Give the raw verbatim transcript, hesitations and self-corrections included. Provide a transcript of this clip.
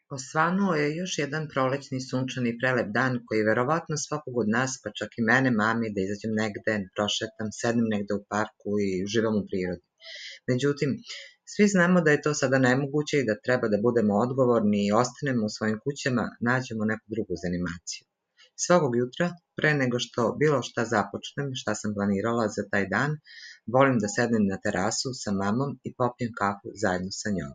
Osvanuo je još jedan prolećni sunčani prelep dan koji verovatno svakog od nas, pa čak i mene, mami, da izađem negde, prošetam, sednem negde u parku i uživam u prirodi. Međutim, svi znamo da je to sada nemoguće i da treba da budemo odgovorni i ostanemo u svojim kućama, nađemo neku drugu zanimaciju. Svakog jutra, pre nego što bilo šta započnem, šta sam planirala za taj dan, volim da sednem na terasu sa mamom i popijem kafu zajedno sa njom.